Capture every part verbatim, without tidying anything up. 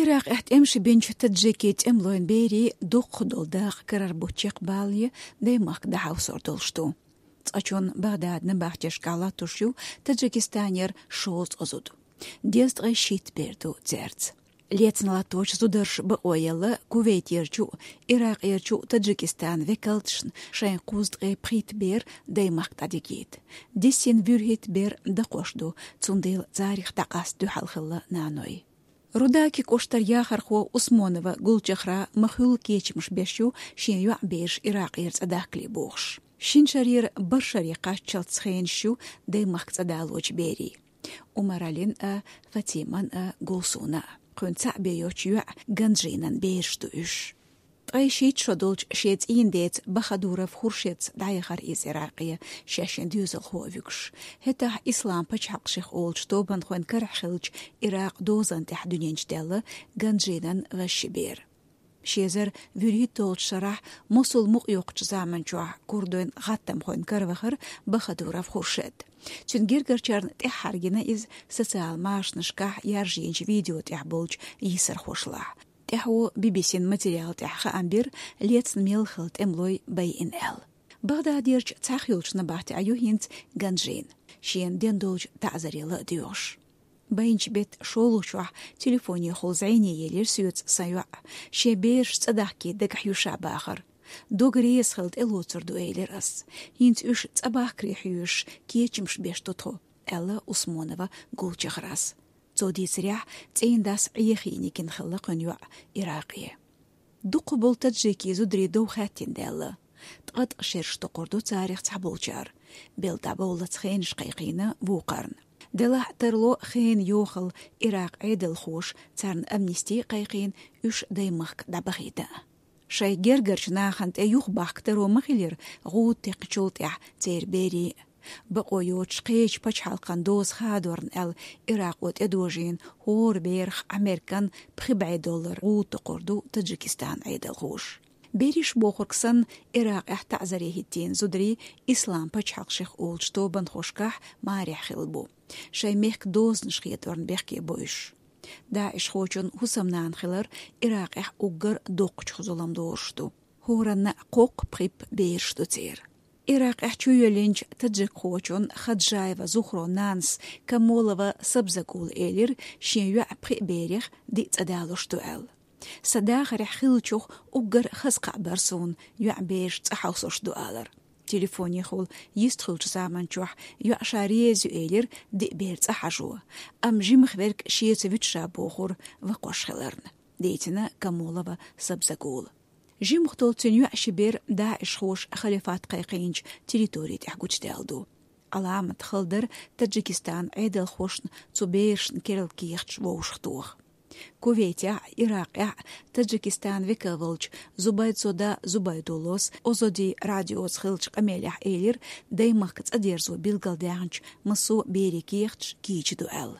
Иракъехь тӀемаш бинчу таджикийн тӀемалойн берийн дукхах долу дакъа карара бутт чекхбалале даймахка дӀахьовсур долуш ду. Цкъачунна Багъдада набахтешкахь латтош ю Таджикистанера шовзткъа зуда. Дезткъе шийтта бер ду цаьрца. Лецна латточу зударша бакъо елла Кувейтерчу, Иракъерчу Таджикистан векалташна шайн кхузткъе пхийтта бер даймахка дӀадигийта. Дисина вуьрхӀитта бер дакхош ду, цундела царах дӀакъаста дуьхьал хилла наной. Рудаки кӀоштара яхархо Усмонова Гулчехра ма-хуьллу кечамаш беш ю шен йоӀ-бераш Иракъера цӀа дахкале бохуш. Шина шарера бархӀ шаре кхаччалц хенаш ю даймахка цӀа далочу берийн. Умаралин а, Фатиман а, Гулсуна а. Кхуьнан цхьаъ бен йоцчу йоьӀан Ганжинан бераш ду уьш. Ткъе шийтта шо долчу шен цӀийнан деца Бахадуров Хуршедца дӀаяхара иза Иракъе, шаьш шен доьзалхо а вуьгуш. ХӀетахь Ислам пачхьалкх шех олучу тобанхойн карахь хиллачу Иракъан дозанна тӀехь дуьнен чу даьлла Ганжинан важа ши бер. Ши эзар вуьрхӀитталгӀачу шарахь Мосул мукъайоккхучу заманчохь курдойн гӀаттамхойн кара вахара Бахадуров Хуршед. Цуьнан гергарчарна тӀаьххьара гина иза социал машанашкахь яржийначу видео тӀехь болчу йийсархошлахь. ТӀаьхьо Би-Би-Син материал тӀехь хаам бира лецна мел хилла тӀемалой байина аьлла. Багъдадерчу цхьаъ йолчу набахтехь ю хӀинца Ганжин, шена дина долчу таӀзаре ла а доьгӀуш. Байначу беттан шолгӀачохь телефонехула зӀене елира соьца сан йоӀ, шен бераш цӀа дахкийта дагахь ю ша бахара. Дог реза хилла тӀелоцур ду, элира ас. ХӀинца уьш цӀа бахкаре хьоьжуш, кечамаш беш ду тхо, аьлла Усмонова Гулчехрас. Цо дийцарехь, цӀийнан дас Ӏехийна гина хилла кхуьнан йоӀ Иракъе. Дукха болу таджикийн зударийн дов хаьттина даьлла. Ткъа-ткъа шераш токхур ду царах цхьаболчара. Белла дӀабовллалц хенаш кхайкхийна вукхарна. Делахь а тарло хенан йохалла Иракъан Ӏедалхоша царна амнисти а кхайкхийна, уьш даймахка дӀабахийта. Шайн гергарчу нахана тӀе юхабахка таро ма хилира гӀуда текхначул тӀаьхьа церан берийн. Бакъо йоцуш кхечу пачхьалкхан доза хадорна аьлла, Иракъо тӀедожийна хӀора берах Ӏамеркан пхи бӀе доллар гӀуда токхур ду Таджикистанан Ӏедалхоша. Берриш бохург санна, Иракъехь таӀзаре хӀиттийна зударий Ислам пачхьалкх шех олучу тобанхошкахь марехь хилла бу. Шайн мехкан дозанаш хедорна бехке бу уьш. ДАИШхочун хӀусамнана хилар Иракъехь уггар доккхачух зулам доруш ду. ХӀоранна кхоккха-пхиппа бераш ду церан. Иракъехь чуйоьллинчу таджикхочун Хаджаева Зухрон нанас Камолова Сабзагула элира, шен йоьӀан пхи берех диъ цӀа далош ду аьлла. Сан дахарехь хиллачух уггар хаза кхаъ бара суна, йоьӀан бераш цӀа хьовсош ду алар. Телефонехула йистхуьлучу заманчохь йоӀ ша реза ю элира диъ бер цӀа хьажо, амма жимах верг шеца вуьту ша бохура вакхош хиларна, дийцина Камолова Сабзагула. Жимах долу цуьнан йоьӀан ши бер даишхоша халифат кхайкхийначу территори тӀехь гучудаьлла ду. Ӏаламат хала дара Таджикистанан Ӏедалхошна цу берашна керла кехаташ вовшахтоха. Кувейтехь а, Иракъехь а Таджикистанан векал волчу Зубайдзода Зубайдуллос Озоди радиоца хиллачу къамелехь элира, даймахка цӀа дерзо билгалдаьхначу массо а берийн кехаташ кийча ду аьлла.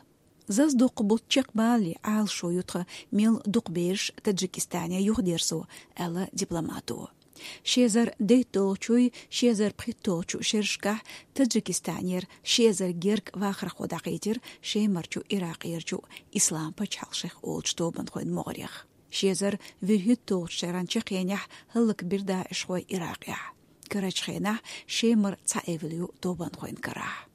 Зазадоккху бутт чекхбалале, Ӏалашо ю тхан мел дукха бераш Таджикистане юхадерзо, аьлла дипломато. Ши эзар дейтталгӀачуй, ши эзар пхийтталгӀачу шерашкахь Таджикистанера ши эзар гергга вахархо дӀахьийтира Шемарчу, Иракъерчу Ислам пачхьалкх шех олучу тобанхойн могӀарех. Ши эзар вуьрхӀитталгӀачу шеран чаккхенехь хӀаллакбира даишхой Иракъехь. Карарчу хенахь Шемара цхьа эвла ю тобанхойн карахь.